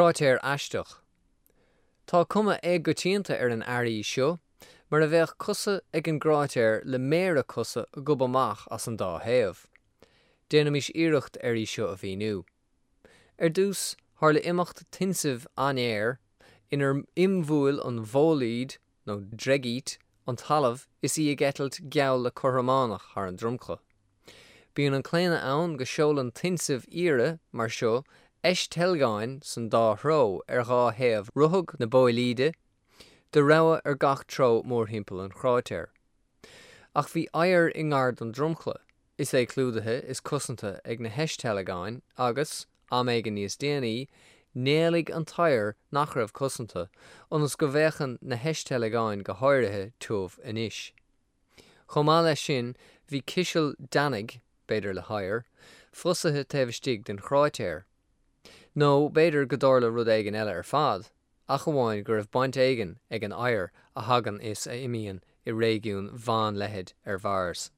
Cráitéar aisteach. Tá cuma éagoitianta ar an airí seo, mar a bheadh cosa ag an gcráitéar le méara cosa ag gobadh amach as an dá thaobh. Déanaimis iarracht ar í seo a mhíniú. Ar dtús, tharla imeacht tinsimh an-ghéar, inar imbhuail an bhóilíd, nó dreigít, an talamh is í ag eitilt geall le cothrománach thar an dromchla. Bíonn an claonadh ann go seolann tinsimh fhíora mar seo eisteilgeáin san dá threo ar dhá thaobh ruthag na bóilíde, de rogha ar gach treo mórthimpeall an chráitéir. Ach bhí oighear i ngar don dromchla, is é clúdaithe is cosanta ag na heisteilgeáin agus, am éigin níos déanaí, néalaigh an t-oighear nach raibh cosanta, ionas go bhféachann na heisteilgeáin go háirithe tiubh anois. Chomh maith leis sin, bhí ciseal deannaigh, b'fhéidir le hoighear, fosaithe taobh istigh den chráitéar. Nó b'fhéidir go dtarla rud éigin eile ar fad, ach amháin go raibh baint éigin ag an oighear a thagann is a imíonn i réigiún mheánleithid ar Mhars.